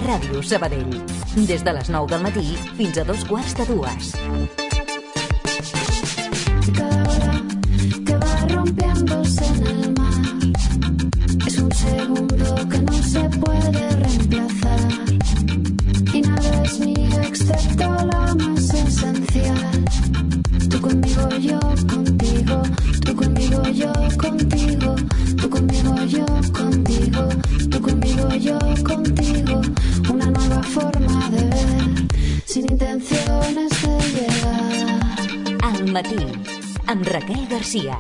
Ràdio Sabadell. Des de les 9 del matí fins a 2:15. Cada hora que va rompiéndose en el mar es un segundo que no se puede reemplazar. Y nada es mío excepto lo más esencial. Tú conmigo, yo contigo. Tú conmigo, yo contigo. Tú conmigo, yo contigo. Tú conmigo, yo contigo. Una nueva forma de ver, sin intenciones de llegar. Al matí, amb Raquel Garcia.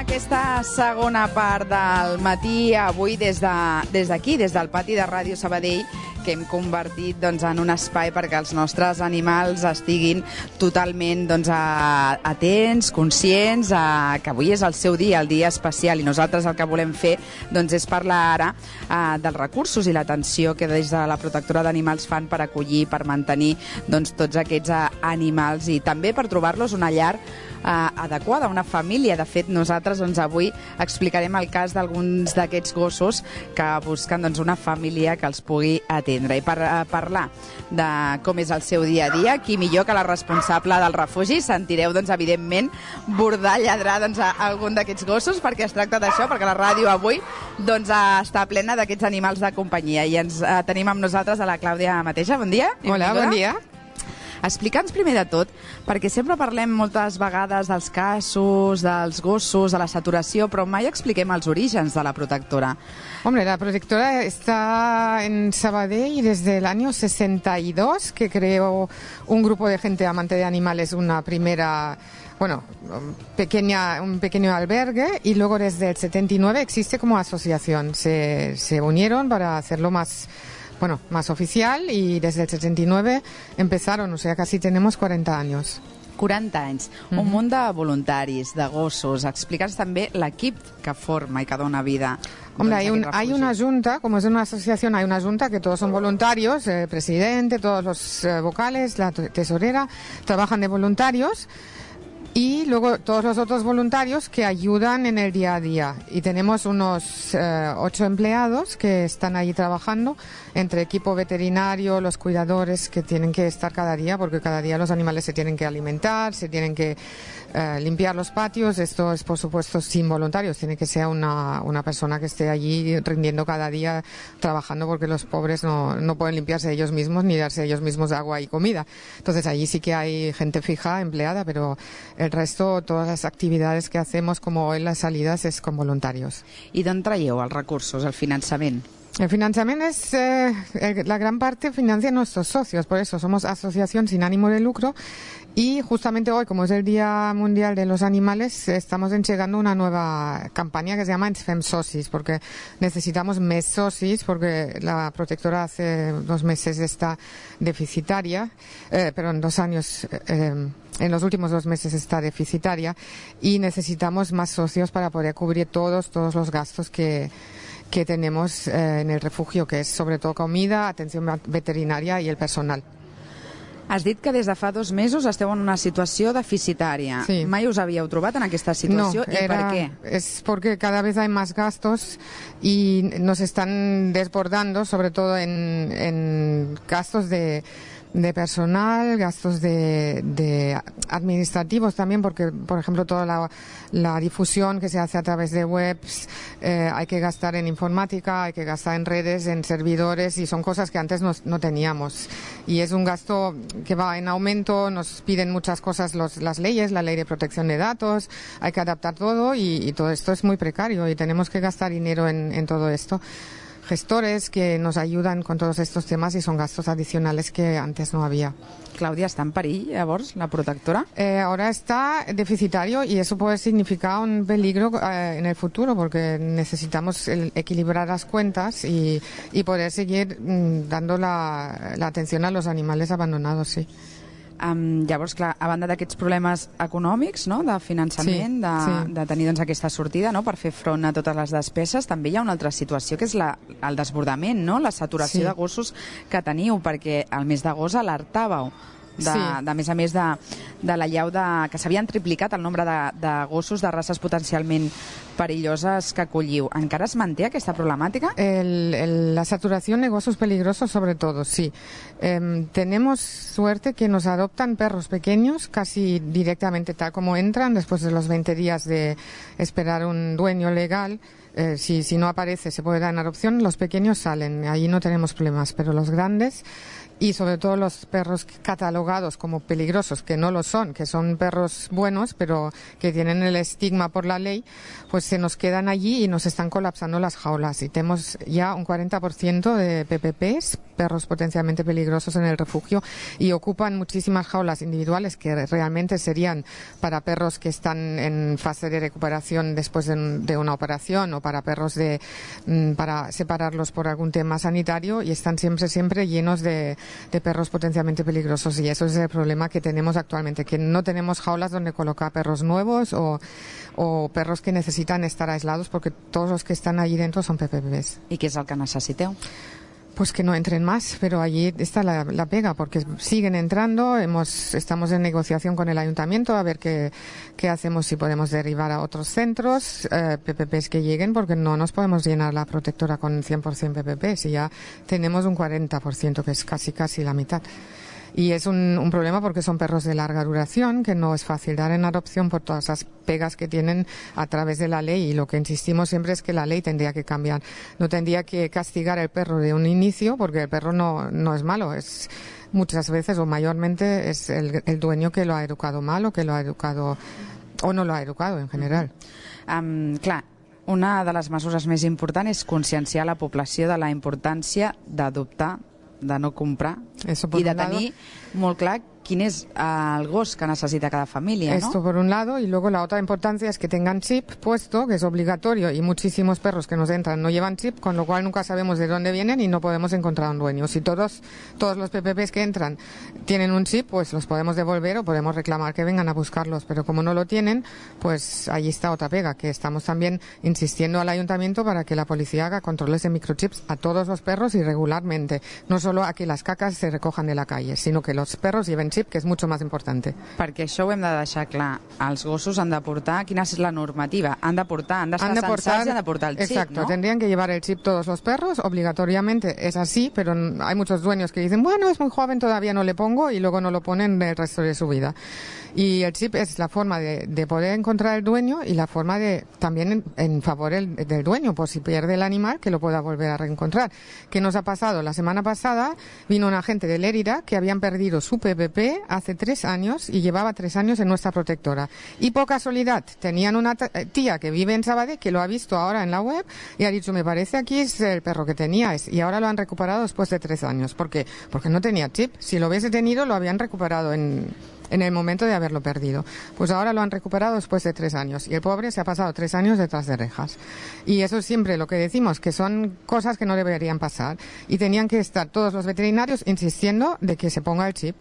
Aquesta segona part del matí, avui des d'aquí, des del pati de Ràdio Sabadell, que hem convertit en un espai perquè els nostres animals estiguin totalment atents, conscients, que avui és el seu dia, el dia especial, i nosaltres el que volem fer és parlar ara dels recursos i l'atenció que des de la Protectora d'Animals fan per acollir, per mantenir tots aquests animals i també per trobar-los una llar adequada, una família. De fet, nosaltres avui explicarem el cas d'alguns d'aquests gossos que busquen una família que els pugui atendre. I per parlar de com és el seu dia a dia, qui millor que la responsable del refugi. Sentireu, evidentment, bordar, lladrar algun d'aquests gossos, perquè es tracta d'això, perquè la ràdio avui està plena d'aquests animals de companyia. I ens tenim amb nosaltres a la Clàudia Mateja. Bon dia. Hola, bon dia. Explica'ns primer de tot, perquè sempre parlem moltes vegades dels casos, dels gossos, de la saturació, però mai expliquem els orígens de la protectora. Hombre, la protectora está en Sabadell desde el año 62, que creó un grupo de gente amante de animales, una primera... un pequeño albergue, y luego desde el 79 existe como asociación. Se unieron para hacerlo más oficial, y desde el 79 empezaron, o sea, casi tenemos 40 años. 40 anys, un munt de voluntaris, de gossos. Explica'ns també l'equip que forma i que dona vida. Hombre, hay una junta, como es una asociación, hay una junta que todos son voluntarios, el presidente, todos los vocales, la tesorera, trabajan de voluntarios. Y luego todos los otros voluntarios que ayudan en el día a día. Y tenemos unos 8 empleados que están ahí trabajando, entre equipo veterinario, los cuidadores que tienen que estar cada día, porque cada día los animales se tienen que alimentar, se tienen que limpiar los patios. Esto es, por supuesto, sin voluntarios. Tiene que ser una persona que esté allí rindiendo cada día, trabajando, porque los pobres no pueden limpiarse ellos mismos ni darse ellos mismos agua y comida. Entonces allí sí que hay gente fija, empleada, pero el resto, todas las actividades que hacemos, como hoy las salidas, es con voluntarios. I d'on traieu els recursos, el finançament? El financiamiento es, la gran parte financia nuestros socios, por eso somos asociación sin ánimo de lucro, y justamente hoy, como es el Día Mundial de los Animales, estamos entregando una nueva campaña que se llama Ens Fem Socis, porque necesitamos més socis, porque la protectora hace 2 meses está deficitaria, pero en 2 años... en los últimos 2 meses está deficitaria, y necesitamos más socios para poder cubrir todos los gastos que tenemos en el refugio, que es sobre todo comida, atención veterinaria y el personal. Has dit que des de fa 2 mesos esteu en una situació deficitària. Sí. Mai us havíeu trobat en aquesta situació? No, ¿Y por qué? Es porque cada vez hay más gastos y nos están desbordando, sobre todo en gastos de personal, gastos de administrativos también, porque, por ejemplo, toda la difusión que se hace a través de webs, hay que gastar en informática, hay que gastar en redes, en servidores, y son cosas que antes no teníamos. Y es un gasto que va en aumento, nos piden muchas cosas las leyes, la ley de protección de datos, hay que adaptar todo, y todo esto es muy precario, y tenemos que gastar dinero en todo esto. Gestores que nos ayudan con todos estos temas, y son gastos adicionales que antes no había. Clàudia, està en perill, llavors, la protectora? Ahora está deficitario, y eso puede significar un peligro en el futuro, porque necesitamos equilibrar las cuentas y poder seguir dando la atención a los animales abandonados, sí. Llavors, clar, a banda d'aquests problemes econòmics, no?, de finançament, de tenir doncs, aquesta sortida, no?, per fer front a totes les despeses, també hi ha una altra situació, que és el desbordament, no?, la saturació de gossos que teniu, perquè el mes d'agost alertàveu a més de l'allau que s'havien triplicat el nombre de gossos de races potencialment perilloses que acolliu. ¿Encara es manté aquesta problemática? La saturación de gossos peligrosos, sobre todo, sí. Tenemos suerte que nos adoptan perros pequeños casi directamente tal como entran, después de los 20 días de esperar un dueño legal. Si no aparece, se puede dar en adopción. Los pequeños salen, ahí no tenemos problemas, pero los grandes, y sobre todo los perros catalogados como peligrosos, que no lo son, que son perros buenos, pero que tienen el estigma por la ley, pues se nos quedan allí y nos están colapsando las jaulas. Y tenemos ya un 40% de PPPs, perros potencialmente peligrosos, en el refugio, y ocupan muchísimas jaulas individuales que realmente serían para perros que están en fase de recuperación después de una operación, o para perros para separarlos por algún tema sanitario, y están siempre llenos de perros potencialmente peligrosos, y eso es el problema que tenemos actualmente, que no tenemos jaulas donde colocar perros nuevos o perros que necesitan estar aislados, porque todos los que están allí dentro son PPPs. ¿Y qué es el que necesiteu? Pues que no entren más, pero allí está la pega, porque siguen entrando. Estamos en negociación con el ayuntamiento a ver qué hacemos, si podemos derivar a otros centros PPPs que lleguen, porque no nos podemos llenar la protectora con 100% PPPs, y ya tenemos un 40%, que es casi la mitad. Y es un problema porque son perros de larga duración, que no es fácil dar en adopción por todas las pegas que tienen a través de la ley, y lo que insistimos siempre es que la ley tendría que cambiar. No tendría que castigar al perro de un inicio, porque el perro no es malo, es muchas veces o mayormente es el dueño que lo ha educado mal, o que lo ha educado o no lo ha educado en general. Clar, una de les mesures més importants és conscienciar la població de la importància d'adoptar, de no comprar, i de tenir molt clar quién es el gos que necesita cada familia, ¿no? Esto por un lado, y luego la otra importancia es que tengan chip puesto, que es obligatorio, y muchísimos perros que nos entran no llevan chip, con lo cual nunca sabemos de dónde vienen y no podemos encontrar un dueño. Si todos los PPPs que entran tienen un chip, pues los podemos devolver o podemos reclamar que vengan a buscarlos, pero como no lo tienen, pues allí está otra pega, que estamos también insistiendo al ayuntamiento para que la policía haga controles de microchips a todos los perros y regularmente, no solo a que las cacas se recojan de la calle, sino que los perros lleven chip, que es mucho más importante. Perquè això ho hem de deixar clar. Els gossos han de portar, quina és la normativa? Han de estar censats i han de portar el chip, exacto, ¿no? Tendrían que llevar el chip todos los perros, obligatoriamente es así, pero hay muchos dueños que dicen, bueno, es muy joven, todavía no le pongo, y luego no lo ponen el resto de su vida. Y el chip es la forma de poder encontrar el dueño, y la forma de también en favor del dueño, por si pierde el animal, que lo pueda volver a reencontrar. ¿Qué nos ha pasado? La semana pasada vino un agente de Lérida que habían perdido su PPP hace 3 años y llevaba 3 años en nuestra protectora. Y por casualidad tenían una tía que vive en Sabadell que lo ha visto ahora en la web y ha dicho, me parece aquí es el perro que teníais, y ahora lo han recuperado después de 3 años. ¿Por qué? Porque no tenía chip. Si lo hubiese tenido, lo habían recuperado en el momento de haberlo perdido. Pues ahora lo han recuperado después de 3 años, y el pobre se ha pasado 3 años detrás de rejas. Y eso es siempre lo que decimos, que son cosas que no deberían pasar, y tenían que estar todos los veterinarios insistiendo de que se ponga el chip.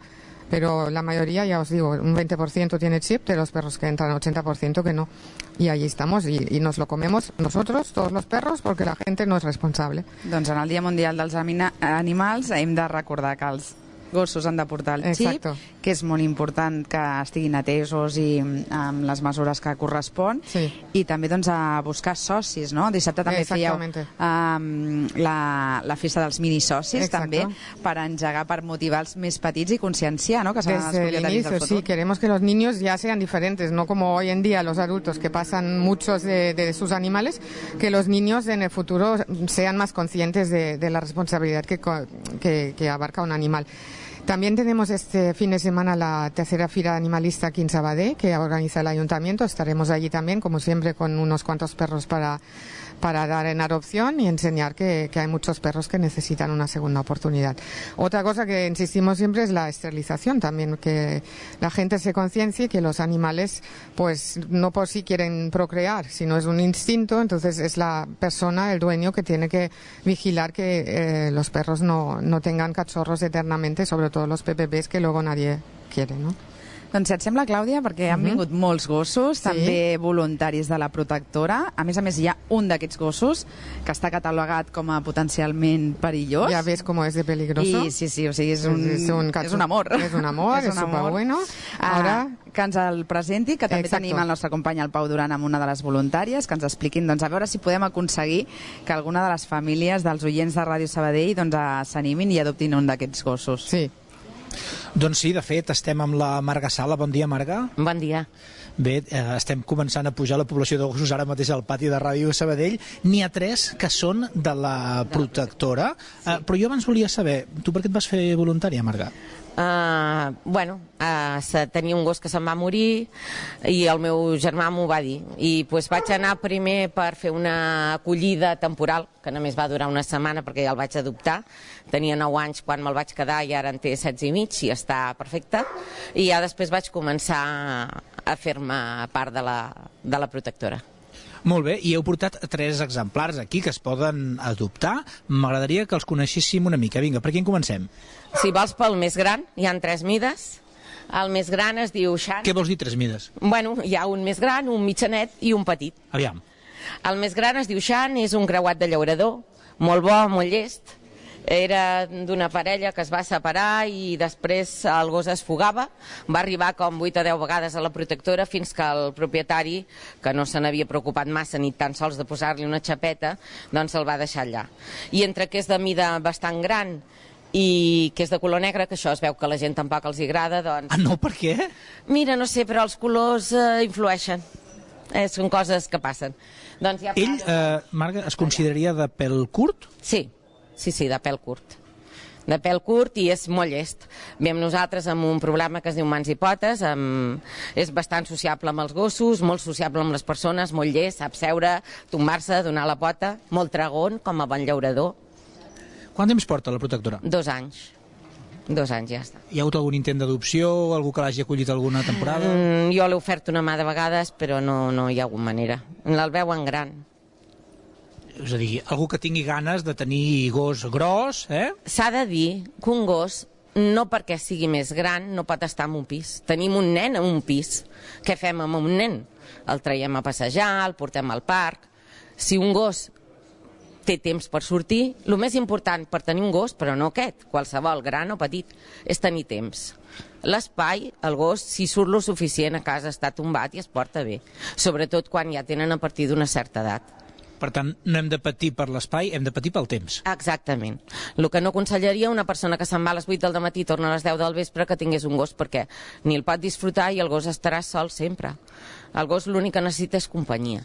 Pero la mayoría, ya os digo, un 20% tiene chip, de los perros que entran, 80% que no. Y allí estamos, y nos lo comemos nosotros, todos los perros, porque la gente no es responsable. Doncs en el Dia Mundial dels Animals hem de recordar que els gossos han de portar el xip, exacto, que és molt important que estiguin atesos i amb les mesures que correspon, sí, i també doncs a buscar socis, no? Dissabte també fèieu la festa dels minisocis, exacto, també, per engegar, per motivar els més petits i conscienciar, ¿no?, que seran els propietaris del futur. Sí, queremos que los niños ya sean diferentes, no como hoy en día los adultos, que pasan muchos de sus animales, que los niños en el futuro sean más conscientes de la responsabilidad que abarca un animal. También tenemos este fin de semana la tercera fira animalista aquí en Sabadell, que organiza el ayuntamiento. Estaremos allí también, como siempre, con unos cuantos perros para dar en adopción y enseñar que hay muchos perros que necesitan una segunda oportunidad. Otra cosa que insistimos siempre es la esterilización también, que la gente se conciencie que los animales, pues no por sí quieren procrear, sino es un instinto, entonces es la persona, el dueño, que tiene que vigilar que los perros no tengan cachorros eternamente, sobre todo los PPPs, que luego nadie quiere, ¿no? Doncs si et sembla, Clàudia, perquè han vingut molts gossos, també voluntaris de la protectora. A més, hi ha un d'aquests gossos que està catalogat com a potencialment perillós. Ja ves com és de peligroso. I sí, o sigui, és un amor. És un amor, és superbueno. Ara que ens el presenti, que també tenim el nostre company, el Pau Duran, amb una de les voluntàries, que ens expliquin, doncs, a veure si podem aconseguir que alguna de les famílies dels oients de Ràdio Sabadell s'animin i adoptin un d'aquests gossos. Sí. Doncs sí, de fet, estem amb la Marga Sala. Bon dia, Marga. Bon dia. Bé, estem començant a pujar la població de gossos ara mateix al pati de Ràdio Sabadell. N'hi ha 3 que són de la protectora. Però jo abans volia saber, tu per què et vas fer voluntària, Marga? Tenia un gos que se'n va morir i el meu germà m'ho va dir i vaig anar primer per fer una acollida temporal que només va durar una setmana perquè ja el vaig adoptar. Tenia 9 anys quan me'l vaig quedar i ara en té 16 i mig i està perfecte, i ja després vaig començar a fer-me part de la protectora. Molt bé, i heu portat 3 exemplars aquí que es poden adoptar. M'agradaria que els coneixéssim una mica. Vinga, per quin comencem? Si vols pel més gran, hi ha 3 mides. El més gran es diu Xan. Què vols dir 3 mides? Bueno, hi ha un més gran, un mitjanet i un petit. Aviam. El més gran es diu Xan, és un creuat de llaurador, molt bo, molt llest. Era d'una parella que es va separar i després el gos es fugava. Va arribar com 8 o 10 vegades a la protectora fins que el propietari, que no se n'havia preocupat massa ni tan sols de posar-li una xapeta, doncs el va deixar allà. I entre que és de mida bastant gran i que és de color negre, que això es veu que a la gent tampoc els agrada, doncs... Ah, no? Per què? Mira, no sé, però els colors influeixen. Són coses que passen. Doncs ja... Ell, Marga, es consideraria de pèl curt? Sí, de pèl curt. De pèl curt i és molt llest. Vam nosaltres amb un problema que es diu mans i potes, és bastant sociable amb els gossos, molt sociable amb les persones, molt llest, sap seure, tombar-se, donar la pota, molt tragon, com a bon llaurador. Quant temps porta la protectora? 2 anys. 2 anys, ja està. Hi ha hagut algun intent d'adopció, algú que l'hagi acollit alguna temporada? Jo l'he ofert una mà de vegades, però no hi ha hagut manera. El veuen gran. És a dir, algú que tingui ganes de tenir gos gros, S'ha de dir que un gos, no perquè sigui més gran, no pot estar en un pis. Tenim un nen en un pis. Què fem amb un nen? El traiem a passejar, el portem al parc. Si un gos té temps per sortir, el més important per tenir un gos, però no aquest, qualsevol, gran o petit, és tenir temps. L'espai, el gos, si surt lo suficient a casa, està tombat i es porta bé. Sobretot quan ja tenen a partir d'una certa edat. Per tant, no hem de patir per l'espai, hem de patir pel temps. Exactament. El que no aconsellaria una persona que se'n va a les 8 del matí i torna a les 10 del vespre que tingués un gos, perquè ni el pot disfrutar i el gos estarà sol sempre. El gos l'únic que necessita és companyia.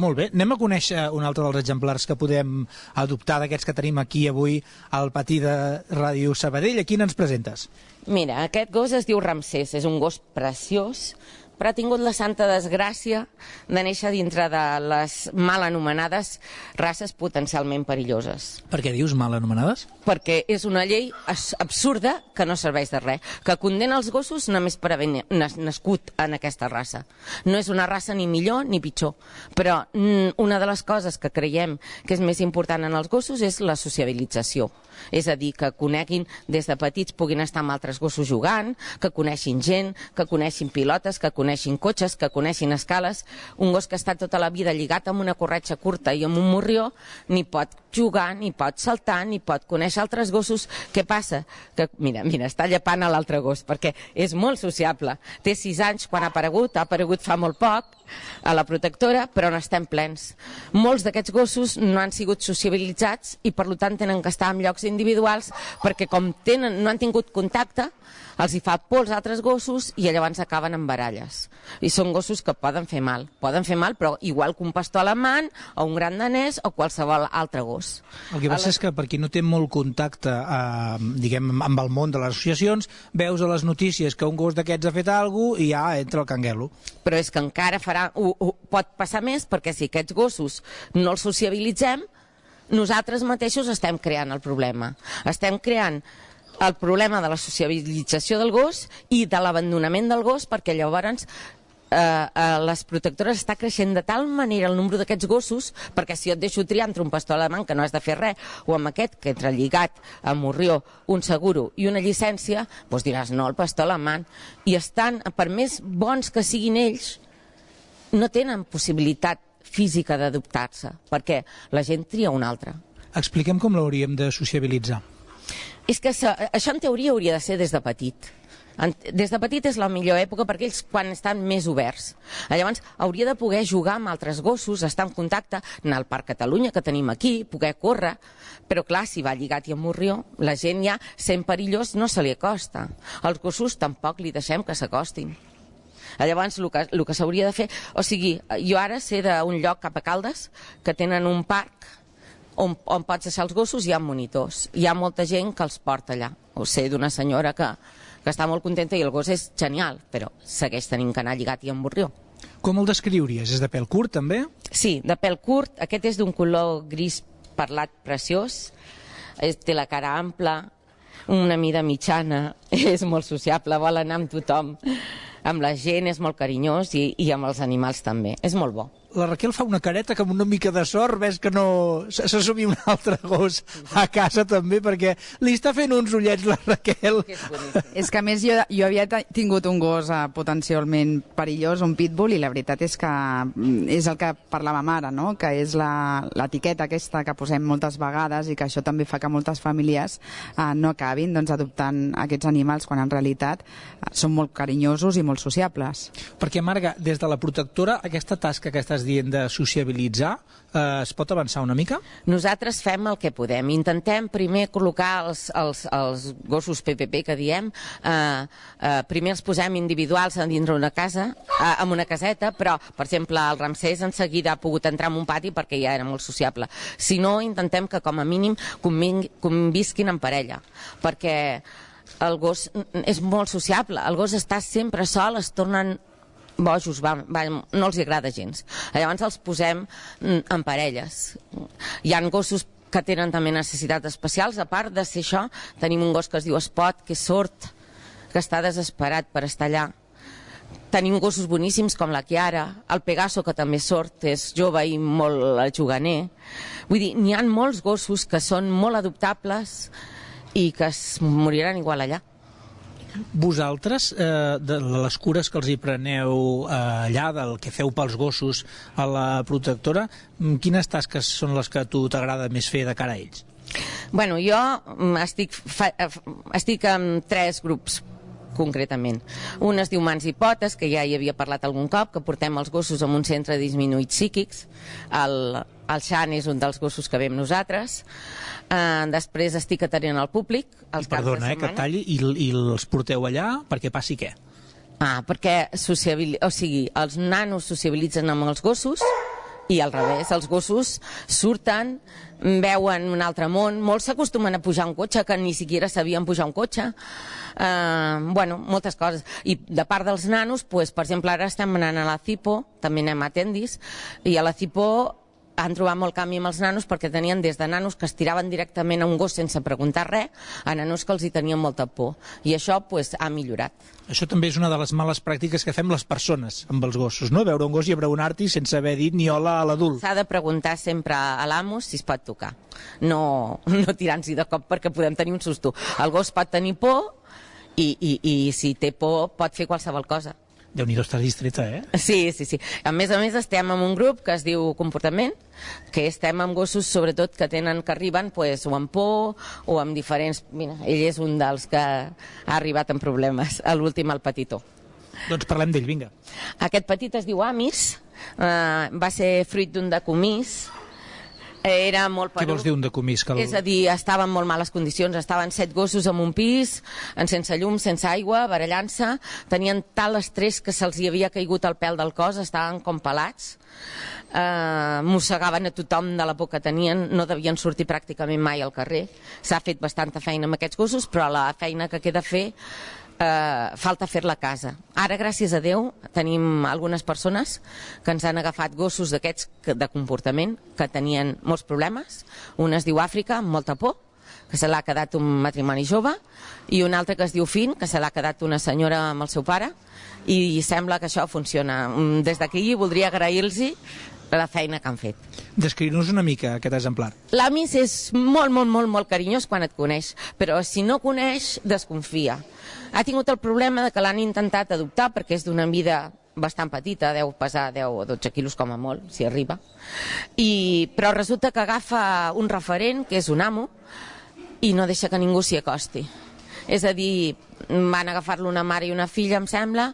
Molt bé, anem a conèixer un altre dels exemplars que podem adoptar d'aquests que tenim aquí avui al pati de Ràdio Sabadell. A quin ens presentes? Mira, aquest gos es diu Ramsès, és un gos preciós, però ha tingut la santa desgràcia de néixer dintre de les mal anomenades races potencialment perilloses. Per què dius mal anomenades? Perquè és una llei absurda que no serveix de res, que condena els gossos només per haver nascut en aquesta raça. No és una raça ni millor ni pitjor, però una de les coses que creiem que és més important en els gossos és la sociabilització. És a dir, que coneguin des de petits, puguin estar amb altres gossos jugant, que coneixin gent, que coneixin pilotes, que coneixin cotxes, que coneixin escales. Un gos que està tota la vida lligat amb una corretja curta i amb un morrió ni pot jugar, ni pot saltar, ni pot conèixer altres gossos. Què passa? Que, mira, està llepant a l'altre gos, perquè és molt sociable. Té 6 anys quan ha aparegut fa molt poc a la protectora, però n'estem plens. Molts d'aquests gossos no han sigut sociabilitzats i per tant tenen que estar en llocs individuals perquè com no han tingut contacte, els hi fa por als altres gossos i llavors acaben en baralles. I són gossos que poden fer mal, però igual que un pastor alemany o un gran danès o qualsevol altre gos. El que passa és que per qui no té molt contacte diguem, amb el món de les associacions, veus a les notícies que un gos d'aquests ha fet alguna cosa i ja entra el canguelo. Però és que encara pot passar més, perquè si aquests gossos no els sociabilitzem, nosaltres mateixos estem creant el problema. Estem creant el problema de la sociabilització del gos i de l'abandonament del gos, perquè llavors les protectores està creixent de tal manera el nombre d'aquests gossos, perquè si jo et deixo triar entre un pastor alemany que no has de fer res, o amb aquest que entra lligat a morrió, un seguro i una llicència, doncs diràs no, el pastor alemany. I estan, per més bons que siguin ells, no tenen possibilitat física d'adoptar-se, perquè la gent tria un altre. Expliquem com l'hauríem de sociabilitzar. És que això en teoria hauria de ser des de petit. Des de petit és la millor època perquè ells quan estan més oberts. Llavors hauria de poder jugar amb altres gossos, estar en contacte, anar al Parc Catalunya que tenim aquí, poder córrer, però clar, si va lligat i amb morrió, la gent ja, sent perillós, no se li acosta. Els gossos tampoc li deixem que s'acostin. Llavors el que s'hauria de fer, o sigui, jo ara sé d'un lloc cap a Caldes que tenen un parc on pots deixar els gossos i hi ha monitors. Hi ha molta gent que els porta allà. Ho sé d'una senyora que està molt contenta i el gos és genial, però segueix tenint que anar lligat i amb morrió. Com el descriuries? És de pèl curt, també? Sí, de pèl curt. Aquest és d'un color gris perlat preciós. Té la cara ampla, una mida mitjana, és molt sociable, vol anar amb tothom. Amb la gent és molt carinyós i amb els animals també. És molt bo. La Raquel fa una careta que amb una mica de sort ves que no s'assumia un altre gos a casa també, perquè li està fent uns ullets la Raquel. És que a més jo havia tingut un gos potencialment perillós, un pitbull, i la veritat és que és el que parlàvem ara, no? Que és l'etiqueta aquesta que posem moltes vegades i que això també fa que moltes famílies no acabin adoptant aquests animals quan en realitat són molt carinyosos i molt sociables. Perquè, Marga, des de la protectora, aquesta tasca que estàs dient de sociabilitzar, es pot avançar una mica? Nosaltres fem el que podem. Intentem primer col·locar els gossos PPP que diem, primer els posem individuals a dintre una casa, en una caseta, però, per exemple, el Ramsès en seguida ha pogut entrar en un pati perquè ja era molt sociable. Si no, intentem que com a mínim convisquin en parella, perquè el gos és molt sociable. El gos està sempre sol, es tornen bojos, no els agrada gens. Llavors els posem en parelles. Hi ha gossos que tenen també necessitats especials. A part de ser això, tenim un gos que es diu Spot, que és sord, que està desesperat per estar allà. Tenim gossos boníssims com la Chiara, el Pegaso, que també és sord, és jove i molt juganer. Vull dir, n'hi ha molts gossos que són molt adoptables i que es moriran igual allà. Vosaltres, de les cures que els hi preneu allà, del que feu pels gossos a la protectora, quines tasques són les que a tu t'agrada més fer de cara a ells? Bueno, jo estic en 3 grups concretament. Un es diu Mans i Potes, que ja hi havia parlat algun cop, que portem els gossos en un centre de disminuïts psíquics. El Xan és un dels gossos que veiem nosaltres. Després estic atenent al públic els caps de setmana. Perdona, que et talli, i els porteu allà perquè passi què? Perquè els nanos sociabilitzen amb els gossos i al revés, els gossos surten, veuen un altre món, molts s'acostumen a pujar un cotxe que ni siquiera sabien pujar un cotxe, moltes coses. I de part dels nanos, per exemple, ara estem anant a la Cipo, també anem a Tendis, i a la Cipo han trobat molt canvi amb els nanos perquè tenien des de nanos que es tiraven directament a un gos sense preguntar res a nanos que els hi tenien molta por. I això ha millorat. Això també és una de les males pràctiques que fem les persones amb els gossos, no? Veure un gos i abraonar-t'hi sense haver dit ni hola a l'adult. S'ha de preguntar sempre a l'amo si es pot tocar. No tirant-s'hi de cop perquè podem tenir un susto. El gos pot tenir por i si té por pot fer qualsevol cosa. Déu-n'hi-do, estàs distreta, eh? Sí. A més, estem en un grup que es diu Comportament, que estem amb gossos, sobretot, que arriben o amb por o amb diferents... Mira, ell és un dels que ha arribat amb problemes, l'últim, el petitó. Doncs parlem d'ell, vinga. Aquest petit es diu Amis, va ser fruit d'un decomís, era molt Què vols dir un decomís? És a dir, estava en molt males condicions, estaven 7 gossos en un pis, sense llum, sense aigua, barallant-se, tenien tal estrès que se'ls hi havia caigut el pèl del cos, estaven com pelats, mossegaven a tothom de la por que tenien, no devien sortir pràcticament mai al carrer. S'ha fet bastanta feina amb aquests gossos, però la feina que queda fer falta fer-la a casa. Ara, gràcies a Déu, tenim algunes persones que ens han agafat gossos d'aquests de comportament que tenien molts problemes. Un es diu Àfrica, amb molta por, que se l'ha quedat un matrimoni jove, i un altre que es diu Fin, que se l'ha quedat una senyora amb el seu pare, i sembla que això funciona. Des d'aquí voldria agrair-los la feina que han fet. Descriu-nos una mica aquest exemplar. L'Amis és molt, molt, molt, molt carinyós quan et coneix, però si no coneix, desconfia. Ha tingut el problema de que l'han intentat adoptar perquè és d'una mida bastant petita, deu pesar 10 o 12 quilos com a molt, si arriba, però resulta que agafa un referent, que és un amo, i no deixa que ningú s'hi acosti. És a dir, van agafar-lo una mare i una filla, em sembla,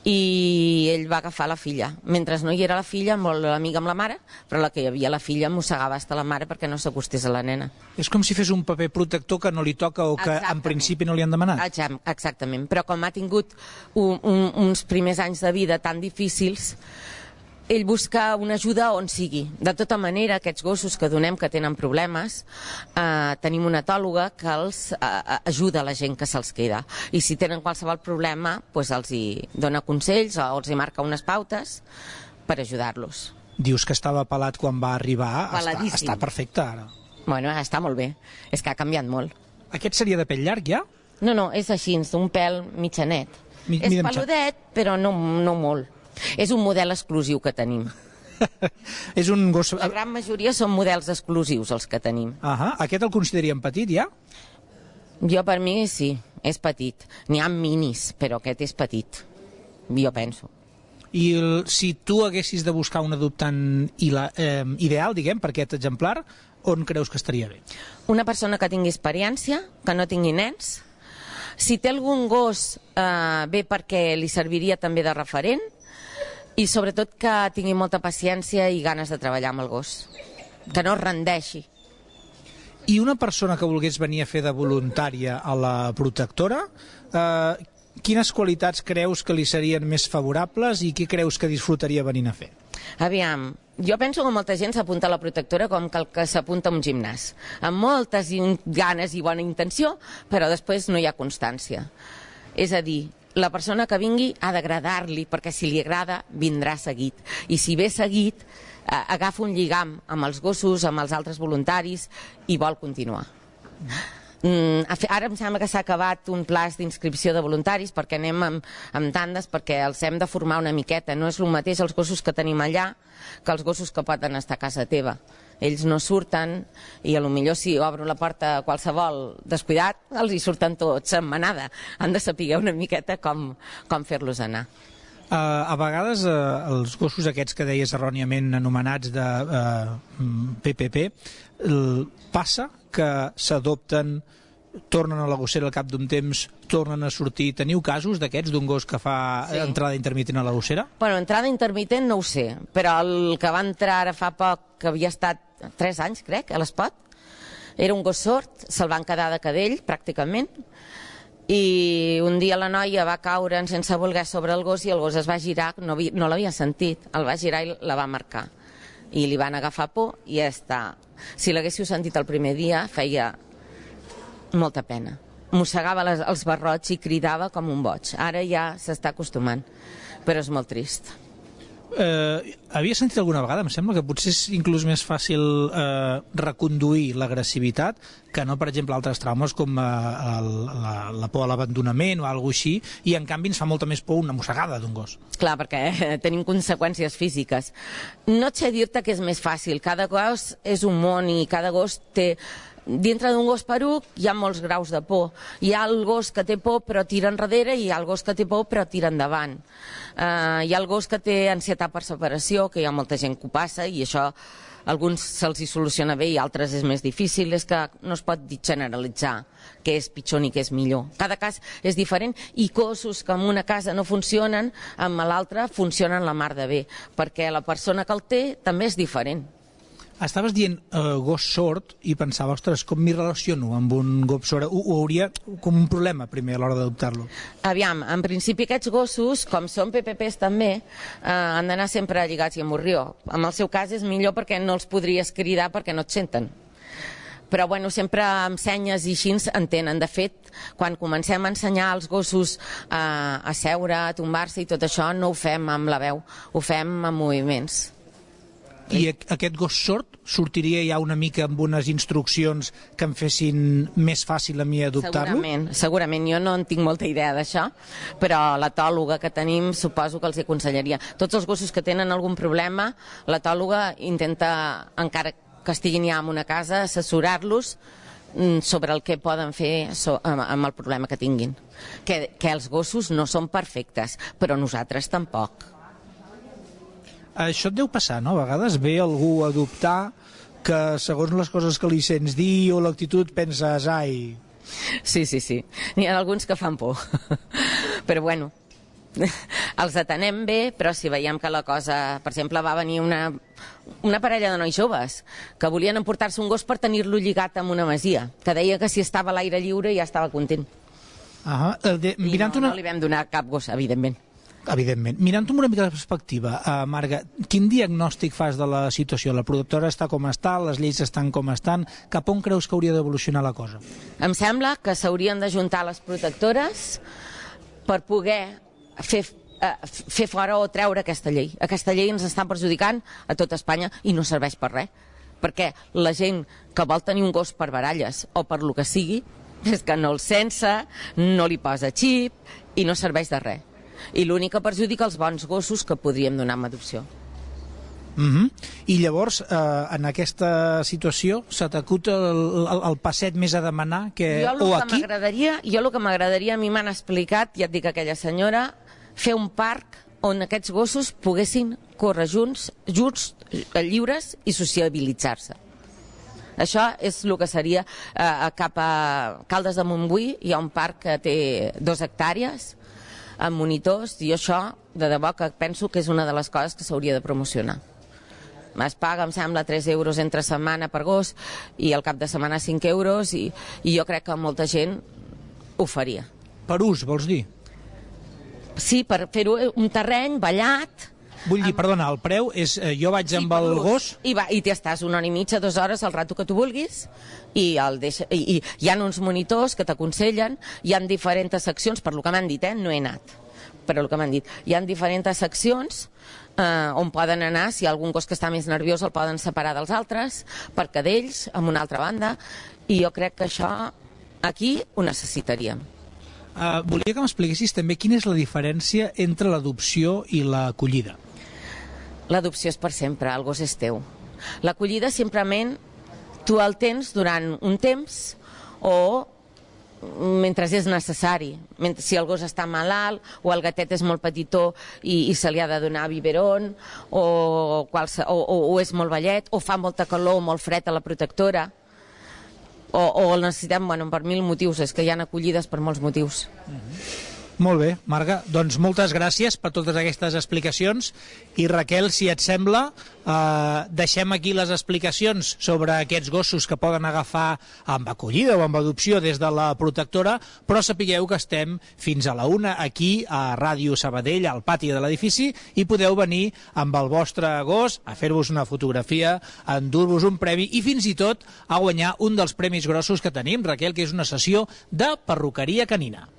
i ell va agafar la filla. Mentre no hi era la filla, molt amiga amb la mare, però la que hi havia la filla mossegava hasta la mare perquè no s'acostés a la nena. És com si fes un paper protector que no li toca o que en principi no li han demanat. Exactament, però com ha tingut uns primers anys de vida tan difícils, ell busca una ajuda on sigui. De tota manera, aquests gossos que donem que tenen problemes, tenim una etòloga que els ajuda a la gent que se'ls queda. I si tenen qualsevol problema, doncs els hi dona consells o els hi marca unes pautes per ajudar-los. Dius que estava pelat quan va arribar. Peladíssim. Està perfecte ara. Bueno, està molt bé. És que ha canviat molt. Aquest seria de pell llarg, ja? No, és així, un pèl mitjanet. És peludet, però no molt. És un model exclusiu que tenim. És un gos... La gran majoria són models exclusius els que tenim. Aquest el consideríem petit, ja? Jo, per mi, sí, és petit. N'hi ha minis, però aquest és petit, jo penso. I si tu haguessis de buscar un adoptant ideal, diguem, per aquest exemplar, on creus que estaria bé? Una persona que tingui experiència, que no tingui nens. Si té algun gos, bé perquè li serviria també de referent, i sobretot que tingui molta paciència i ganes de treballar amb el gos, que no es rendeixi. I una persona que volgués venir a fer de voluntària a la protectora, quines qualitats creus que li serien més favorables i què creus que disfrutaria venint a fer? Aviam, jo penso que molta gent s'apunta a la protectora com que s'apunta a un gimnàs, amb moltes ganes i bona intenció, però després no hi ha constància. És a dir, la persona que vingui ha d'agradar-li, perquè si li agrada, vindrà seguit. I si ve seguit, agafa un lligam amb els gossos, amb els altres voluntaris, i vol continuar. Ara em sembla que s'ha acabat un plaç d'inscripció de voluntaris, perquè anem amb tandes, perquè els hem de formar una miqueta. No és el mateix els gossos que tenim allà que els gossos que poden estar a casa teva. Ells no surten i potser si obro la porta a qualsevol descuidat, els hi surten tots en manada. Han de saber una miqueta com fer-los anar. A vegades els gossos aquests que deies erròniament anomenats de PPP, passa que s'adopten, tornen a la gossera al cap d'un temps, tornen a sortir. Teniu casos d'aquests, d'un gos que fa entrada intermitent a la gossera? Bueno, entrada intermitent no ho sé, però el que va entrar ara fa poc, que havia estat 3 anys, crec, a l'Espot, era un gos sord, se'l van quedar de cadell, pràcticament, i un dia la noia va caure sense voler sobre el gos i el gos es va girar, no l'havia sentit, el va girar i la va marcar. I li van agafar por i ja està. Si l'haguéssiu sentit el primer dia, feia molta pena. Mossegava els barrots i cridava com un boig. Ara ja s'està acostumant, però és molt trist. Havia sentit alguna vegada, em sembla que potser és inclús més fàcil reconduir l'agressivitat que no, per exemple, altres traumes com la por a l'abandonament o alguna cosa així, i en canvi ens fa molta més por una mossegada d'un gos. Clar, perquè tenim conseqüències físiques. No et sé dir-te que és més fàcil, cada gos és un món i cada gos té... Dintre d'un gos peruc hi ha molts graus de por. Hi ha el gos que té por però tira enrere i hi ha el gos que té por però tira endavant. Hi ha el gos que té ansietat per separació, que hi ha molta gent que ho passa i això a alguns se'ls hi soluciona bé i altres és més difícil. És que no es pot generalitzar què és pitjor ni què és millor. Cada cas és diferent i gossos que en una casa no funcionen, amb l'altra funcionen la mar de bé, perquè la persona que el té també és diferent. Estaves dient gos sord i pensava, ostres, com m'hi relaciono amb un gos sord? Ho hauria com un problema primer a l'hora d'adoptar-lo? Aviam, en principi aquests gossos, com són PPPs també, han d'anar sempre lligats i amb morrió. En el seu cas és millor perquè no els podries cridar perquè no et senten. Però bueno, sempre amb senyes i així entenen. De fet, quan comencem a ensenyar als gossos a seure, a tombar-se i tot això, no ho fem amb la veu, ho fem amb moviments. I aquest gos sord sortiria ja una mica amb unes instruccions que em fessin més fàcil a mi adoptar-lo? Segurament. Jo no en tinc molta idea d'això, però l'etòloga que tenim suposo que els aconsellaria. Tots els gossos que tenen algun problema, l'etòloga intenta, encara que estiguin ja en una casa, assessorar-los sobre el que poden fer amb el problema que tinguin. Que els gossos no són perfectes, però nosaltres tampoc. Això et deu passar, no? A vegades ve algú a adoptar que segons les coses que li sents dir o l'actitud penses, ai... Sí. N'hi ha alguns que fan por. Però bueno, els atenem bé, però si veiem que la cosa... Per exemple, va venir una parella de nois joves que volien emportar-se un gos per tenir-lo lligat amb una masia, que deia que si estava a l'aire lliure ja estava content. I no li vam donar cap gos, evidentment. Evidentment. Mirant-ho amb una mica de perspectiva, Marga, quin diagnòstic fas de la situació? La protectora està com està, les lleis estan com estan, cap on creus que hauria d'evolucionar la cosa? Em sembla que s'haurien d'ajuntar les protectores per poder fer fora o treure aquesta llei. Aquesta llei ens està perjudicant a tot Espanya i no serveix per res. Perquè la gent que vol tenir un gos per baralles o per lo que sigui, és que no el sense, no li posa xip i no serveix de res. I l'únic que perjudica els bons gossos que podríem donar en adopció. I llavors, en aquesta situació, se t'acut el passet més a demanar que... Jo el que m'agradaria, a mi m'han explicat, ja et dic aquella senyora, fer un parc on aquests gossos poguessin córrer junts, lliures i sociabilitzar-se. Això és el que seria cap a Caldes de Montbui, hi ha un parc que té 2 hectàrees, amb monitors, i això, de debò, que penso que és una de les coses que s'hauria de promocionar. Es paga, em sembla, 3 euros entre setmana per gos, i al cap de setmana 5 euros, i jo crec que molta gent ho faria. Per ús, vols dir? Sí, per fer-ho un terreny ballat. Vull dir, perdona, el preu és jo vaig amb el gos... I t'estàs 1 hora i mitja, 2 hores, el rato que tu vulguis, i hi ha uns monitors que t'aconsellen, hi ha diferents seccions, per lo que m'han dit, no he anat, però el que m'han dit, hi ha diferents seccions on poden anar, si hi ha algun gos que està més nerviós el poden separar dels altres, per cadells, amb una altra banda, i jo crec que això aquí ho necessitaríem. Volia que m'expliquessis també quina és la diferència entre l'adopció i l'acollida. L'adopció és per sempre, el gos és teu. L'acollida simplement tu el tens durant un temps o mentre és necessari. Si el gos està malalt o el gatet és molt petitó i se li ha de donar biberon o és molt vellet o fa molta calor o molt fred a la protectora o el necessitem per 1000 motius. És que hi ha acollides per molts motius. Molt bé, Marga, doncs moltes gràcies per totes aquestes explicacions i Raquel, si et sembla, deixem aquí les explicacions sobre aquests gossos que poden agafar amb acollida o amb adopció des de la protectora, però sapigueu que estem fins a la 1 aquí a Ràdio Sabadell, al pati de l'edifici, i podeu venir amb el vostre gos a fer-vos una fotografia, a endur-vos un premi i fins i tot a guanyar un dels premis grossos que tenim, Raquel, que és una sessió de perruqueria canina.